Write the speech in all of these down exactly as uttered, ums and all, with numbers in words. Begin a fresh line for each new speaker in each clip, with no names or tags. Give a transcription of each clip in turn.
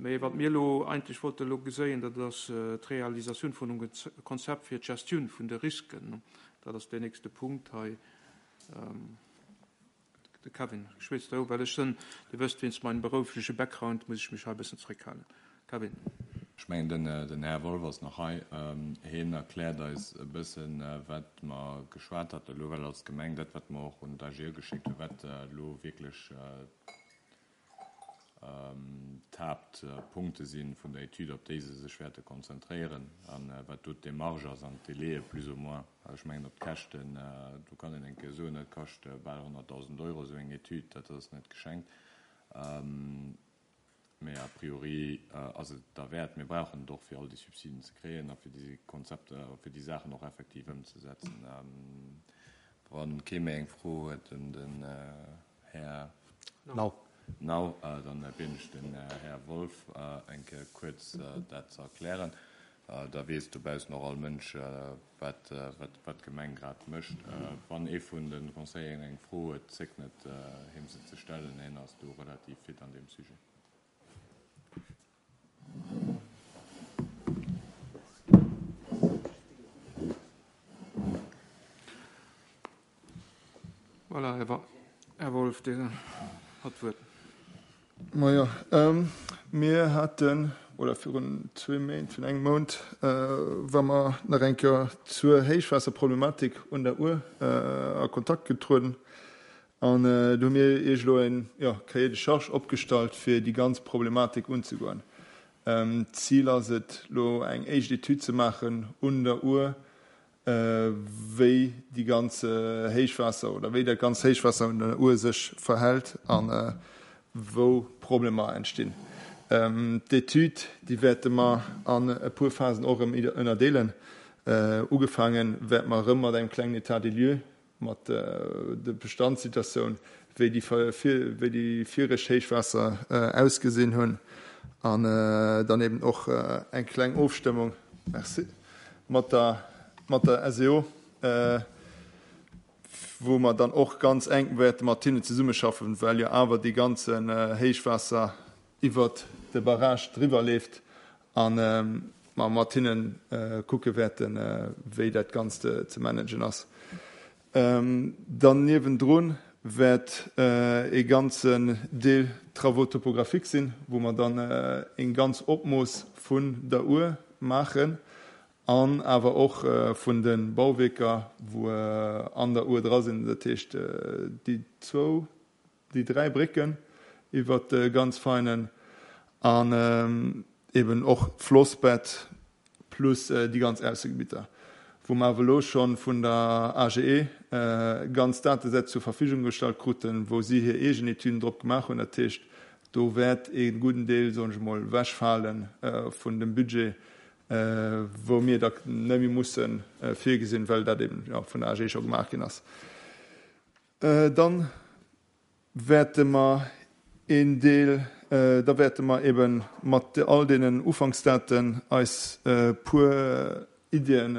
Mee wat mir elo eigentlech wollte elo geséien, dat ass d'Realisatioun vun engem Konzept fir d'Gestioun vun de Risken. Dat ass deen nächste Punkt hei. De Kevin schwätzt do, well ech sinn, Dir wësst, wéinst meinem beroufleche Background muss ech mech hei e bëssen zréckhalen. Kevin.
Ech mengen, den, den Här Wolff ass nach hei. Hien erkläert eis e bëssen, wat mer geschwat haten elo, well als Gemeng dat, wat mer och un d'AGE geschéckt hunn, wat elo wierklech d'Haaptpunkte si vun der Etüd, op déi se sech wäerte konzentréieren an wat do d'Demarche ass an d'Délaië plus ou moins. Ech mengen, op d'Käschten, do kann een eng Kéier soen, dat kascht bal honnertdausend Euro, esou eng Etüd, dat ass net geschenkt. Mee a priori ass et derwäert. Mir brauchen et och, fir all déi Subsiden ze kréien a fir déi Konzepter, fir déi Saachen och effektiv ëmzesetzen. Wa kee méi eng Fro huet un den Här
Nau.
Nau, dann bieden ech den Här Wolff eng Kéier kuerz dat ze erklären. Da weess dobaussen och all Mënsch, wat wat d'Gemeng grad mécht. Wann ee vun de Conseilleren eng Fro huet, zéckt net, him se ze stellen. Hien ass do relativ fit an deem Sujet.
Voilà, Här Wolff, Dir hat d'Wuert.
Majo, mir haten, oder virun zwee Méint, virun engem Mount, wa mer nach eng Kéier zur Héichwaasserproblematik un der Our a Kontakt getrueden. An do hu mir Iech elo en, jo, Cahier de charges opgestallt, fir déi ganz Problematik unzegoen. D'Zil ass et, elo eng éischt Etüd ze maachen un der Our, wéi déi ganz Héichwaasser oder wéi dat ganz Héichwaasser un der Our sech verhält a wou Problemer entstinn. D'Etüd, déi wäerte mer an e puer Phasen och erëm ënnerdeelen. Ugefaange wäerte mer erëm mat engem klengen État des lieux, mat der Bestandssituatioun, wéi déi wéi déi viregt Héichwaasser ausgesinn hunn an dann eben och eng kleng Ofstëmmung, merci, mat der mat der S E O, wou mer dann och ganz enk wäerte mat hinnen zesummeschaffen, well jo awer dee ganzen Héichwaasser iwwert de Barrage driwwer leeft a mer mat hinne kucke wäerten, wéi dat Ganzt ze managen ass. Dann niewendrun wäert ee ganzen Deel Travaux topographiques sinn, wou mer dann eng ganz Opmooss vun der Our maachen an awer och vun de Bauwierker, wou an der Our dra sinn, dat heescht déi zwou, déi dräi Brécken iwwert de ganz Feinen an eben och d'Flossbett plus déi ganz Aussegebitter, wou mer awer elo scho vun der A G E ganz Datesätz zur Verfügung gestallt kruten, wou si hir eegen Etüden drop gemaach hunn. Dat heescht, do wäert ee gudden Deel, soen ech emol, ewechfale vun dem Budget, wou mir da net méi musse virgesinn, well dat eben vun der A G E scho gemaach ginn ass. Dann wäerte mer een Deel, da wäerte mer ebe mat all deenen Ufanksdaten eis e puer Iddien,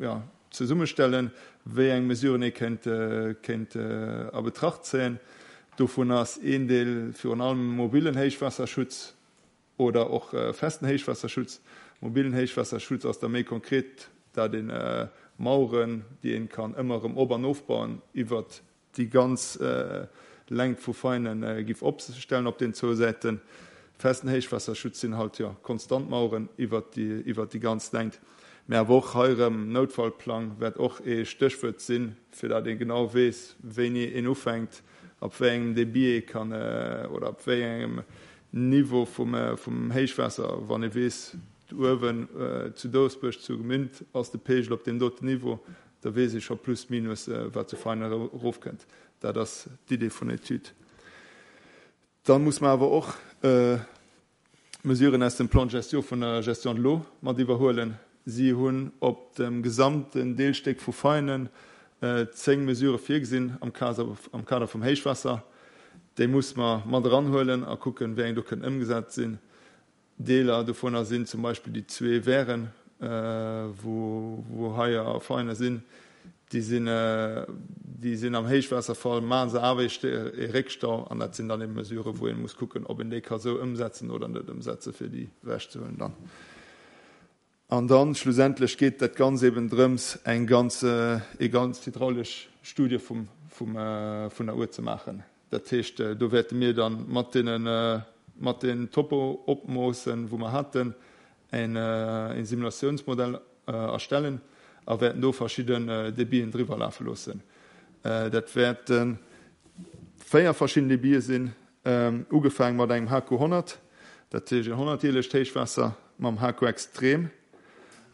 jo, zesummestellen, wéi eng Mesuren ee kéint, kéint a Betracht zéien. Dovun ass een Deel virun allem mobilen Héichwaasserschutz oder och festen Héichwaasserschutz. Mobilen Héichwaasserschutz ass da méi konkret, dat ee Maueren, déi een kann ëmmer erëm op an ofbauen, iwwert déi ganz Längt vu Veinen giff opstellen op den zwou Säiten. Festen Héichwaasserschutz sinn halt, jo, konstant Maueren iwwert déi, iwwert déi ganz Längt. Mä awer och hei erëm, Noutfallplang wäert och ee Stéchwuert sinn, fir dat ee genau weess, wéini een ufänkt, ab wéi engem Débit ee kann oder ab wéi engem Niveau vum, vum Héichwaasser, wann ee weess, uewen zu Dousbuerg, zu Gemünd ass de Peegel op deem doten Niveau, da weess ee scho plus minus, wat zu Veinen erofkënnt. Dat ass d'Idee vun der Etüd. Da muss mer awer och Mesuren aus dem Plan de gestion vun der Gestion de l'eau mat iwwerhuelen. Si hunn op dem gesamten Deelstéck vu Veinen zéng Mesurë virgesinn am Kader vum Héichwaasser. Déi muss mer mat eranhuelen a kucken, wéi eng do kënnen ëmgesat sinn. Deeler dovunner sinn zum Beispill déi zwee Weiren, wou hei a Veinen sinn. Déi sinn, Déi sinn am Héichwaasserfall, maache se awer ee Réckstau an dat sinn dann eben Mesurë wou ee muss kucken, ob een déi ka sou ëmsetzen oder net ëmsetze fir déi ewechzehuelen dann. An dann schlussendlech geet dat Ganz eben drëms eng ganz, ee ganz hydraulesch Studie vum, vum, vun der Our ze maachen. Dat heescht, do wäerte mir dann mat deenen, mat den Topo-Opmoossen, wou mer haten, een, een Simulatiounsmodell erstellen a wäerten do verschidden Debiten driwwer lafe loossen. Dat wäerte véier verschidden Debite sinn, ugefaange mat engem H Q honnert, dat heescht en honnertjährlecht Héichwaasser, mam H Q extrem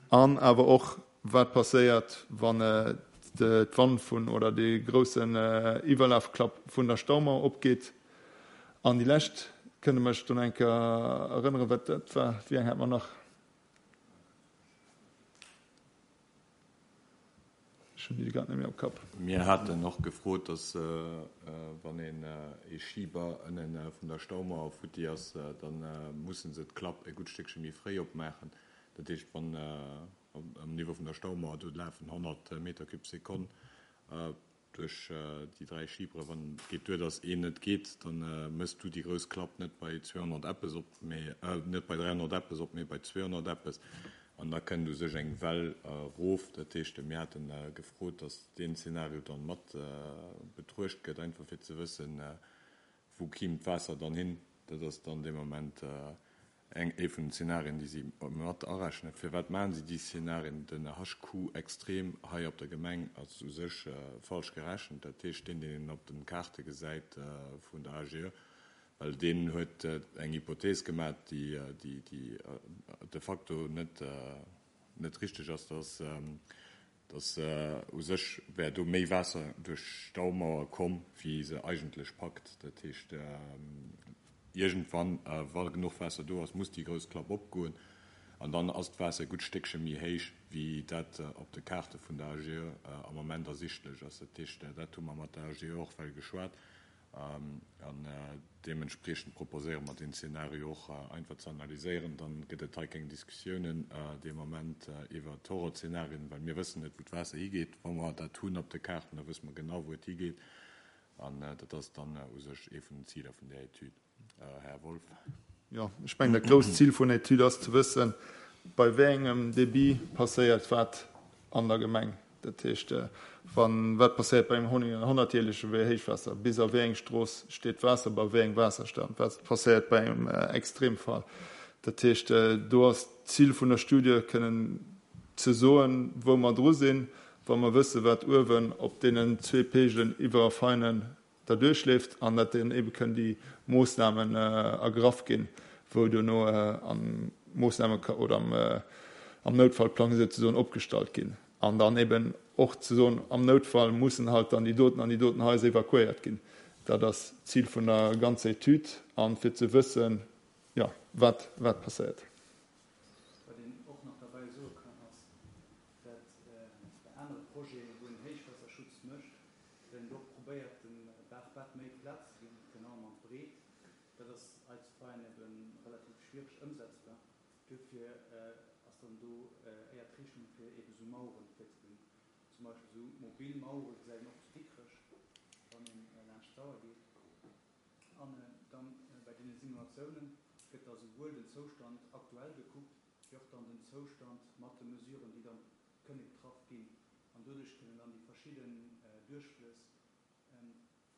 an awer och wat passéiert, wann d'Wann vun oder dee groussen Iwwerlafklapp vun der Staumauer opgeet. An déi lescht, kënne mech do eng Kéier erënneren, wat dat war? Wéi eng hat mer nach? Ech hunn déi grad net méi am Kapp.
Mir haten och gefrot, dass wann een ee Schiber ënnen vun der Staumauer futti ass, da musse se d'Klapp e gutt Stéckche méi fréi opmaachen. Dat heescht, wann am Niveau vun der Staumauer do lafen honnert Meter cube Sekonn duerch déi dräi Schibere, wann et geet duer, dass een net geet, da mëss du déi grouss Klapp net bei zweehonnert eppes op, mee net bei dräihonnert eppes op, mee bei zweehonnert eppes. An da kënnt u sech eng Well erof. Dat heescht, mir haten gefrot, dass deen Zeenario dann mat betruecht gëtt, einfach fir ze wëssen, wou kimm d'Waasser dann hin. Dat ass dann dee Moment eng, ee vun den Szenarien, déi si mat arechnen. Firwat maachen si déi Szenarien? Den H Q extrem hei op der Gemeng ass u sech falsch gerechent. Dat heescht, deen, deen een op den Kaarte gesäit vun der A G E, well deen huet eng Hypothees gemaach, déi, déi, déi de facto net, net richteg ass, dass, dass u sech wär do méi Waasser duerch d'Staumauer komm, wéi se eigentlech packt. Dat heescht, iergendwann, wa genuch Waasser do ass, muss déi grouss Klapp opgoen an dann ass d'Waasser e gutt Stéckche méi héich, wéi dat op de Kaarte vun der A G E am Moment ersichtlech ass. Dat heescht, dat hu mer mat der A G E och well geschwat an deementspriechend proposéiere mer den Zeenario och einfach ze analyséieren. Dann gëtt et hei keng Diskussiounen dee Moment iwwer d'Horrorszenarien, well mir wëssen net, wou d'Waasser higeet. Wa mer dat hunn op de Kaarten, da wësse mer genau, wou et higeet. An dat ass dann u sech ee vun den Ziler vun der Etüd. Här Wolff.
Jo, ech mengen, dat grousst Zil vun der Etüd ass ze wëssen, bei wéi engem Débit passéiert wat an der Gemeng. Dat heescht, wann, wat passéiert bei engem honnertjährleche Héichwaasser, bis a wéi eng Strooss steet d'Waasser, bei wéi engem Waasserstand, wat passéiert bei engem Extremfall. Dat heescht, do ass d'Zil vun der Studie kënnen ze soen, wou mer dru sinn, wa mer wësse, wat uewen op deenen zwee Pegelen iwwer Veinen da duerchleeft an dat dann eben kënnen déi Moossnamen ergraff ginn, wou duerno an Moossnamen oder am, am Noutfallplang sozusagen opgestallt ginn. An dann eben och ze soen, am Noutfall mussen halt dann déi doten an déi doten Haiser evakuéiert ginn. Dat ass d'Zil vun der ganzer Etüd an fir ze wëssen, ja, wat, wat passéiert.
Wat een och nach derbäi soe kann, ass, dat bei anere Projeten, wou een Héichwaasserschutz mécht, wenn een och probéiert, dem Baachbett méi Plaz ze ginn, virun allem an d'Breet, dat ass hei zu Veien eben relativ schwierig ëmsetzbar. Dofir ass dann do éier d'Richtung fir eben sou Maueren virzeginn. Zum Beispill sou mobil Mauere gesäit een och zu Dikrech, wann een laanscht d'Sauer geet. An dann bei deene Simulatiounen gëtt da souwuel den Zoustand aktuell gekuckt, wéi och dann den Zoustand mat de Mesuren, déi dann kënne getraff ginn. An doduerch kënnen dann déi verschidden Duerchflëss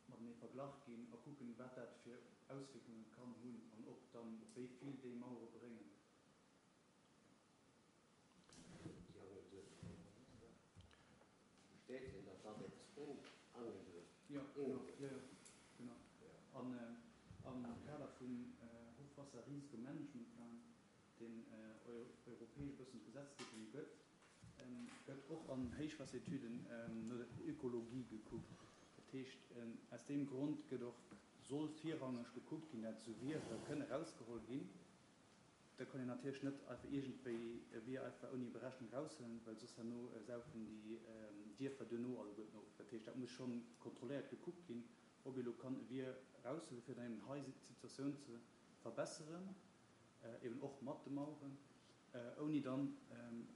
matenee verglach ginn a kucken, wat dat fir Auswierkungen kann hunn an ob dann wéi vill déi Mauere bréngen. Ja, genau. Ja, ja, genau. An am Kader vum Hochwasserrisikomanagementplan, deen europäesch e bëssen d'Gesetzgebung gëtt, gëtt och an Héichwasseretüden no der Ökologie gekuckt. Dat heescht, aus deem Grond gëtt och, soll virrangeg gekuckt ginn, dat esou Wiere kënne rausgeholl ginn. Da kann een natierlech net einfach iergendwéi e Wier einfach ouni Berechnung raushuelen, well soss herno saufen déi Dierfer duerno alleguerten of. Dat heescht, dat muss schonn kontrolléiert gekuckt ginn, ob ee lo kann e Wier raushuelen, fir dann eben hei d'Situatioun ze verbesseren, eben och mat de Maueren, ouni dann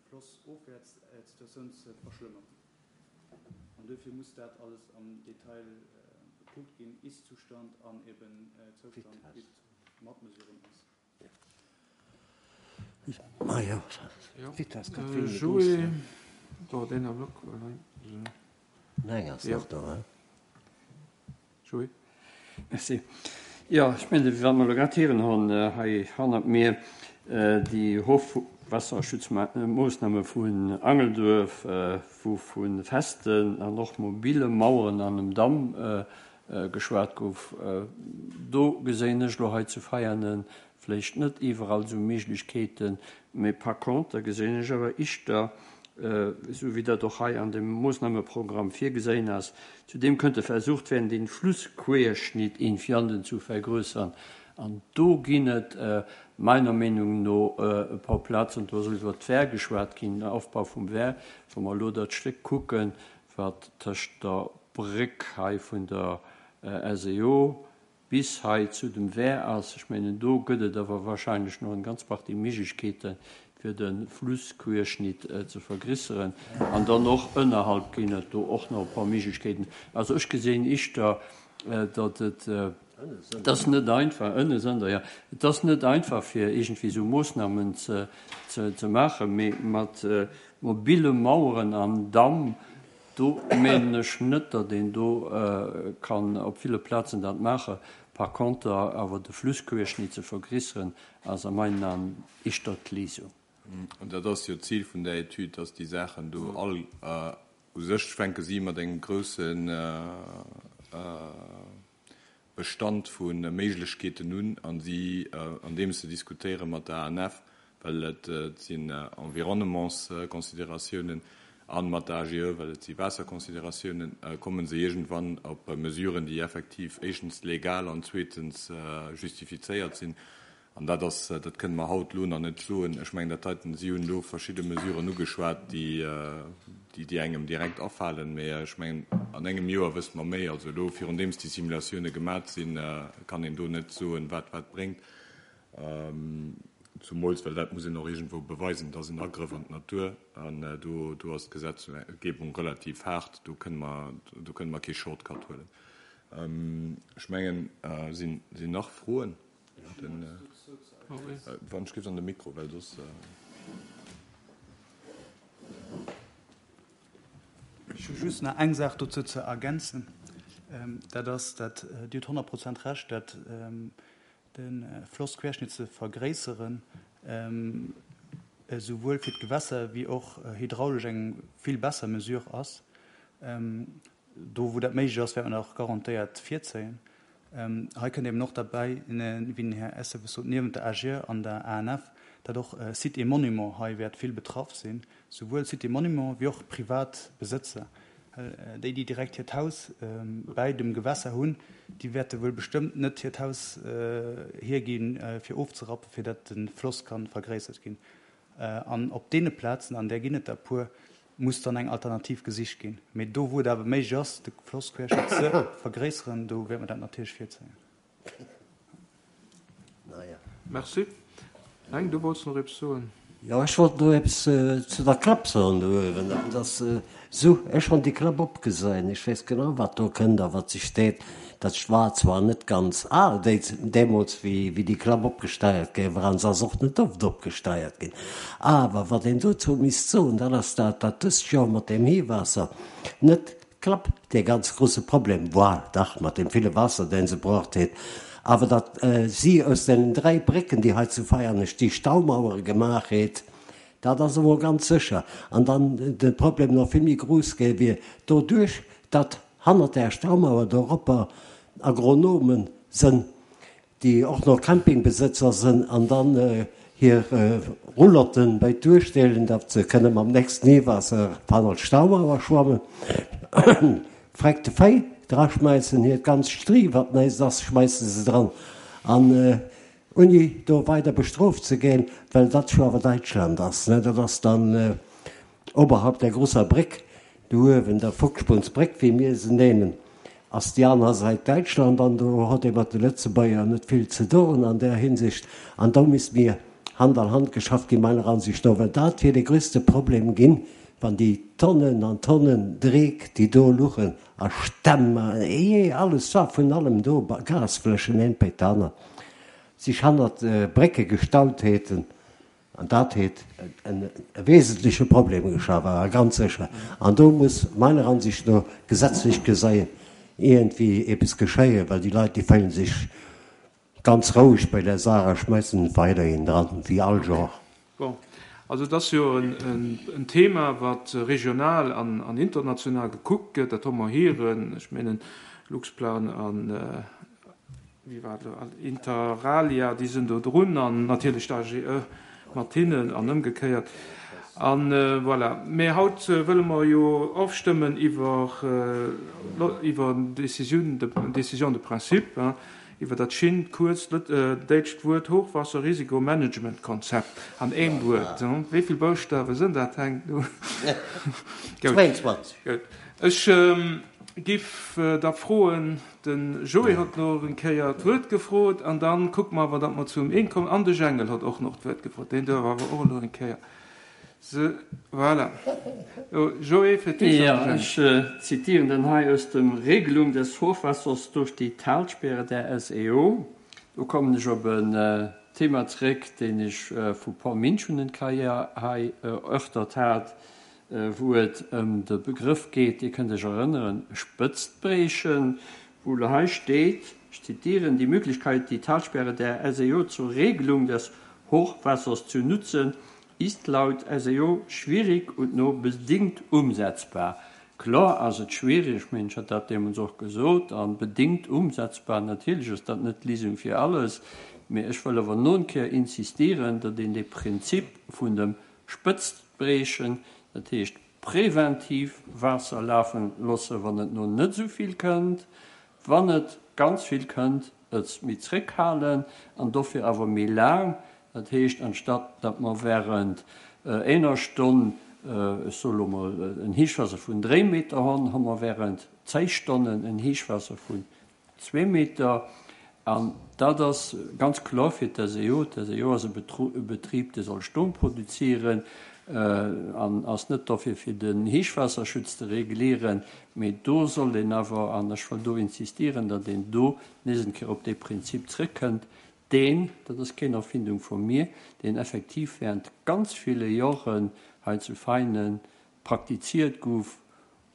flossofwäerts d'Situatioun ze verschlëmmeren. An duerfir muss dat alles am Detail gekuckt ginn, Ist-Zustand an eben Zoustand, wéi et mat Mesuren ass.
Merci. Jo, ech mengen, wat mer elo grad héieren hunn hei hannert mir, déi Hochwasserschutzmoossname vun Angelduerf, wou vu festen an och mobile Maueren an einem Damm geschwat gouf, do geséin ech elo hei zu Veianen vläicht net iwwerall esou Méiglechkeeten, mee par contre geséin ech awer ischter, esou wéi dat och hei an dem Moossnameprogramm virgeséin ass, zudem könnte versucht werden, den Flussquerschnitt in Vianden zu vergrößern. An do ginn et meiner Meenung no e paar Plazen, do ass iwwer d'Wehr geschwat ginn, den Aufbau vum Wehr, wa mer elo dat Stéck kucken, wat tëscht der Bréck hei vun der S E O bis hei zu dem Wehr ass, ech mengen, do gëtt et awer wahrscheinlech nach eng ganz Partie Méiglechkeeten, fir de Flussquerschnitt ze vergrisseren. An dann och ënnerhalb ginn et do och nach e paar Méiglechkeeten. Also ech gesinn ischter, datt et, et ass net einfach, ënne sënn der, ja, et ass net einfach, fir iergendwéi esou Moossnamen ze, ze, ze maachen, mee mat mobile Maueren an Damm, do mengen ech net, datt een do kann op ville Plazen dat maachen. Par contre awer de Flussquerschnitt ze vergrisseren, ass a meinen Aen ischter d'Léisung.
An dat ass jo d'Zil vun der Etüd, dass déi Saachen do all u sech fänke si mat engem groussen Bestand vu Méiglechkeeten un, an si, andeems se diskutéiere mat der A N F, well et sinn Environnementsconsidératiounen, an mat der A G E, well et si Waasserconsidératiounen, kommen se iergendwann op Mesuren, déi effektiv éischtens legal an zweetens justifizéiert sinn. An dat ass, dat kënne mer haut elo nach net soen. Ech mengen, dat heiten, si hunn do verschidde Mesuren ugeschwat, déi, déi, déi engem direkt afalen. Mee ech mengen, an engem Joer wësse mer méi. Also elo, virun deem déi Simulatioune gemat sinn, kann een do net soen, wat wat bréngt. Zumools, well dat muss een och iergendwou beweisen, dass en Agrëff an d'Natur, an do, do ass d'Gesetzgebung relativ hart, do kënne mer, do kënne mer kee Shortcut huelen. Ech mengen, sinn, sinn nach Froen? Den, wann ech gif an de Mikro, well soss,
Ech hu just nach eng Saach dozou ze ergänzen. Dat ass, dat Dir hutt honnert Prozent Recht, dat de Flossquerschnitt ze vergréisseren, esouwuel fir d'Gewässer wéi och hydraulesch eng vill besser Mesure ass. Do, wou dat méiglech ass, wäert man och garantéiert virzéien. Hei kënnt eben och derbäi, wéi den Här Esseves sot, niewent der A G E an der A N F, dat och Sites et Monuments hei wäert vill betraff sinn, souwuel Sites et Monuments wéi och privat Besëtzer. Déi, déi direkt hiert Haus bäi dem Gewässer hunn, déi wäerte wuel bestëmmt net hiert Haus hierginn, fir ofzerappen, fir dat de Floss kann vergréissert ginn. An op deene Plazen, an där ginn et der puer, muss dann eng Alternativ gesicht ginn. Mee do, wou et awer méiglech ass, de Flossquerschnitt ze vergréisseren, do wäerte mer dat natierlech virzéien.
Merci. Eng, du wolltest noch etwas soen?
Jo, ech wollt no eppes zu der Klapp soen do uewen. Dat ass esou, ech hunn déi Klapp opgesäin. Ech weess genau, wat do kënnt a wat sech steet. Dat war zwar net ganz al deemools, wéi déi Klapp opgesteiert gi war, an se ass och net oft opgesteiert ginn. Awer wat een dozou misst soen, dat ass dat, dat dëst Joer mat deem Heewaasser net d'Klapp dee ganz grosse Problem war, dach mat deem ville Waasser, deen se braucht huet, awer dat si aus den dräi Brécken, déi hei zu Veianesch déi Staumauere gemaach het, dat ass emol ganz sécher. An dann de Problem nach vill méi grouss gi wier, doduerch, datt hannert der Staumauer doropper Agronomen sinn, déi och noch Campingbesëtzer sinn, an dann hir Roulotten bei d'Duerstellen, datt se kënnen am nächsten Heewaasser hannert d'Staumauer schwammen. Freckte Véi dra schmeißen, hiert ganz Strie, wat neist ass, schmeißen se dran. An ouni do weider bestrooft ze ginn, well dat scho awer Deutschland ass. Ne? Dat ass dann äh, oberhalb der grosser Bréck, do uewen, der Fuchsbunnsbréck, wéi mir se nennen, ass déi aner Säit Deutschland, an do hat ee mat de Lëtzebuerger net vill ze doen an der Hinsicht. An do misst mir Hand an Hand geschafft ginn, meiner Ansicht no, well dat wier de grösste Problem ginn wann déi Tonnen an Tonnen Dreck, déi do luchen, a Stämm, a ejee, alles war vun allem do, Gasfläschen, eent béi d'anert, sich hannert Brécke gestaut häten, an dat hätt e wesentleche Problem geschaf, awer ganz sécher. An do muss meiner Ansicht no gesetzlech geseien iergendwéi eppes geschéien, well déi Leit, déi féilen sech ganz roueg bei där Saach a schmeissen et weiderhin dran, wéi all Joer.
Bon, also et ass jo en Thema, wat regional an international gekuckt gëtt, dat hu mer héieren. Ech mengen, Luxplan an, wéi war et elo, Interalia, déi sinn do drun an natierlech d'AGE mat hinnen an ëmgekéiert. A voilà. Mä haut wëlle mer jo ofstëmmen iwwer iwwer Décisioun de, Décision de principe, iwwer dat schinnt, kuerzt däitscht Wuert Hochwasserrisikomanagementkonzept an eem Wuert. Wéi vill Bouschtawe sënn dat, Heng?
Zwéienzwanzeg.
Gutt. Ech giff da froen, de Joé hott elo eng Kéier d'Wuert gefrot, an da kucke mer awer, datt mer zum Een kommen. An de Jengel hott och noch d'Wuert gefrot, deen duerf awer och elo eng Kéier. Se, voilà. Joé, fir d'éischt
Jo,
an de Jengel.
ech zitieren dann hei aus dem Regelung des Hochwassers durch die Talsperre der S E O. Do kommen ech op en Thema zréck, deen ech vu puer Min schon en Kéier hei erörtert hat, wou et ëm de Begrëff geet, Dir kënnt Iech erënneren, Spëtztbriechen, wou elo hei steet, ech zitieren, Die Möglichkeit, die Talsperre der S E O zur Regelung des Hochwassers zu nutzen, ist laut S E O schwierig und nur bedingt umsetzbar. Kloer ass et schwierig, ech mengen, ech hat dat deemools och gesot, a bedingt umsetzbar, natierlech ass dat net d'Léisung fir alles, mee ech wëll awer no en Kéier insistieren, datt een dee Prinzip vun dem Spëtztbriechen, dat heescht preventiv Waasser lafen loosse wann et no net esou vill kënnt, wann et ganz vill kënnt, et méi zréckhalen an dofir awer méi laang, dat heescht anstatt datt mer während eener Stonn, ech soe lo mol, en Héichwaasser vun dréi Meter honn, hu mer während zéi Stonnen en Héichwaasser vun zwee Meter. An dat ass ganz kloer fir d'S E O. D'S E O ass e Betrib, dee soll Stroum produzieren an ass net dofir, fir den Héichwaasserschutz ze regulieren. Mee do sollt een awer, an ech wëll do insistieren, datt een do nees eng Kéier op dee Prinzip zrëckkënnt, deen, dat ass keng Erfindung vu mir, deen effektiv während ganz ville Joren hei zu Veinen praktiziert gouf,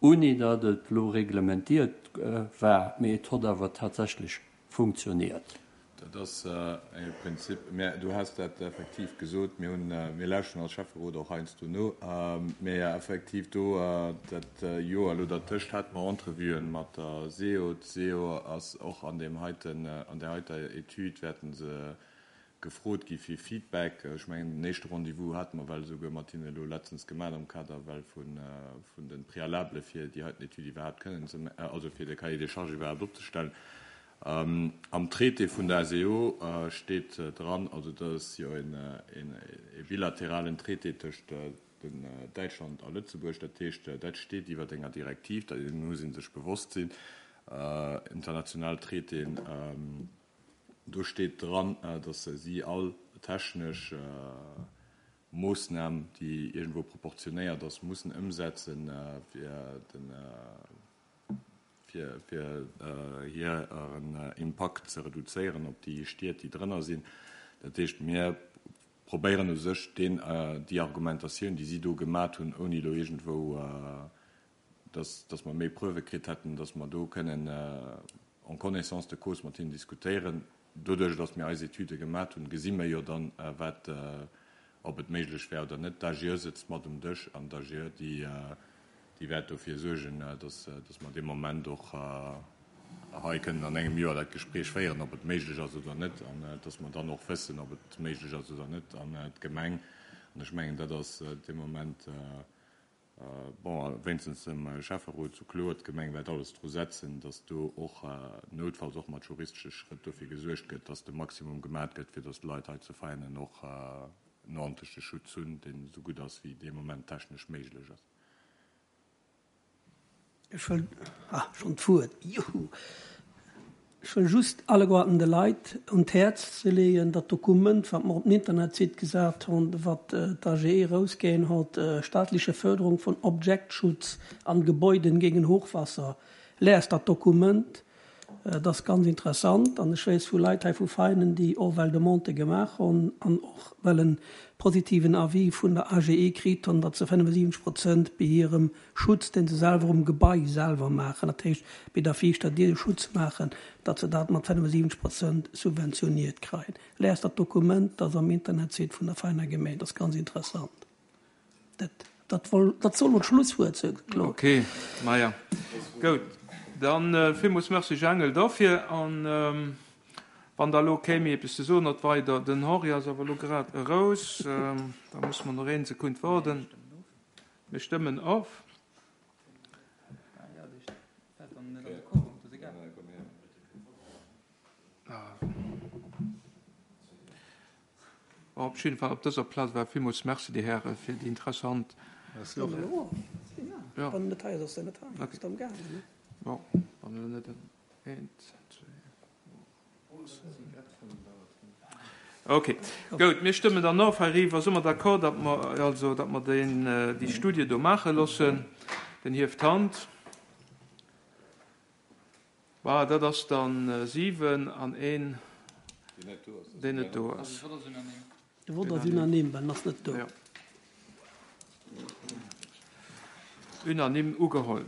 ouni datt et elo reglementiert war, mee et hott awer tatsächlech funktioniert.
Dat ass e Prinzip. Mä du has dat effektiv gesot. Mir hunn, mir lauschten als Schäfferot och heiansdo no. Mä effektiv do dat Joer elo dertëscht hate mer Entrevuen mat der SEO. D'SEO ass och an deem heiten, an där heiter Etüd wäerte se gefrot gi fir Feedback. Ech mengen, den éischte Rendez-vous hate mer well esouguer mat hinne elo letztens gemaach am Kader well vun de Préalabele fir déi heiten Etüd iwwerhaapt kënnen ze, also fir de Cahier des charges iwwerhaapt opzestellen. Am Traité vun der S E O steet dran, also dat ass jo e bilateralen Traité tëscht den Däitschland a Lëtzebuerg, dat heescht, dat steet iwwer enger Direktiv, dat muss ee sech bewosst sinn, international Traitéen, do steet dran, datt si all technesch Moossnam, déi iergendwou proportionéiert ass, mussen ëmsetzen, fir den fir fir hiren Impakt ze reduzéieren op déi Stied, déi drënner sinn. Dat heescht, mir probéieren u sech deen, déi Argumentatioun, déi si do gemat hunn, ouni elo iergendwou, dass, dass mer méi Preuve kritt hätten, dass mer do kënnen en connaissance de cause mat hinnen diskutéieren. Doduerch, dass mir eis Etüde gemat hunn, gesi mir jo dann, wat, ob et méiglech wär oder net. D'A G E sëtzt mat um Dësch an d'A G E, déi, déi wäert dofir suergen, dass, dass mer dee Moment och hei kënnen an engem Joer dat Gespréich féieren, ob et méiglech ass oder net, an dass mer dann och wëssen, ob et méiglech ass oder net. An d'Gemeng, an ech mengen, dat ass dee Moment, bon, wéinstens dem Schäfferot sou kloer, d'Gemeng wäert alles dru setzen, dass do och noutfalls och mat juristesche Schrëtt dofir gesuergt gëtt, dass de Maximum gemat gëtt, fir dass d'Leit hei zu Veianen och en ordentleche Schutz hunn, deen esou gutt ass, wéi dee Moment technesch méiglech ass.
Ech wëll, ah, schonn d'Wuert, juhu! Ech wëll just alleguerten de Leit un d'Häerz ze leeën, dat Dokument, wat mer op den Internetsite gesat hunn, wat d'AGE erausginn huet, Staatliche Förderung von Objektschutz an Gebäuden gegen Hochwasser, Liest dat Dokument, dat ass ganz interessant. An ech weess vu Leit hei vu Veinen, déi och well Demandë gemaach hunn an och well e positiven Avis vun der AGE kritt hunn, datt se fënnefensiwwenzeg Prozent bei hirem Schutz, dee se selwer um Gebai selwer maachen, dat heescht bei der viischter Dier de Schutz maachen, datt se dat mat fënnefensiwwenzeg Prozent subventioniert kréien. Liest dat Dokument, dat ass am Internetsite vun der Veiner Gemeng, dat ass ganz interessant. Dat, dat woll, dat soll lo d'Schlusswuert sinn, Claude.
Ok, maja, goud. Dann villmools Merci Jangel dofir. An wann da lo kee méi eppes ze soen huet weider, den Henri ass awer lo grad eraus, da musse mer nach een Sekund waarden. Mir stëmmen of. Bon, op jidde Fall op dëser Plaz war villmools Merci, Dir Hären, fir déi interessant.
Merci och.
Ja. Bon, wann elo net eent, zwee. Ok, goud, mir stëmmen dann of heiriwwer. Si mer d'accord, datt mer also, datt mer deen, déi Studie do maache loossen? Den hieft d'Hand. Voilà, dat ass dann siwen an een, deen net do ass.
De Vott ass unanime, well en ass net do.
Unanime ugeholl.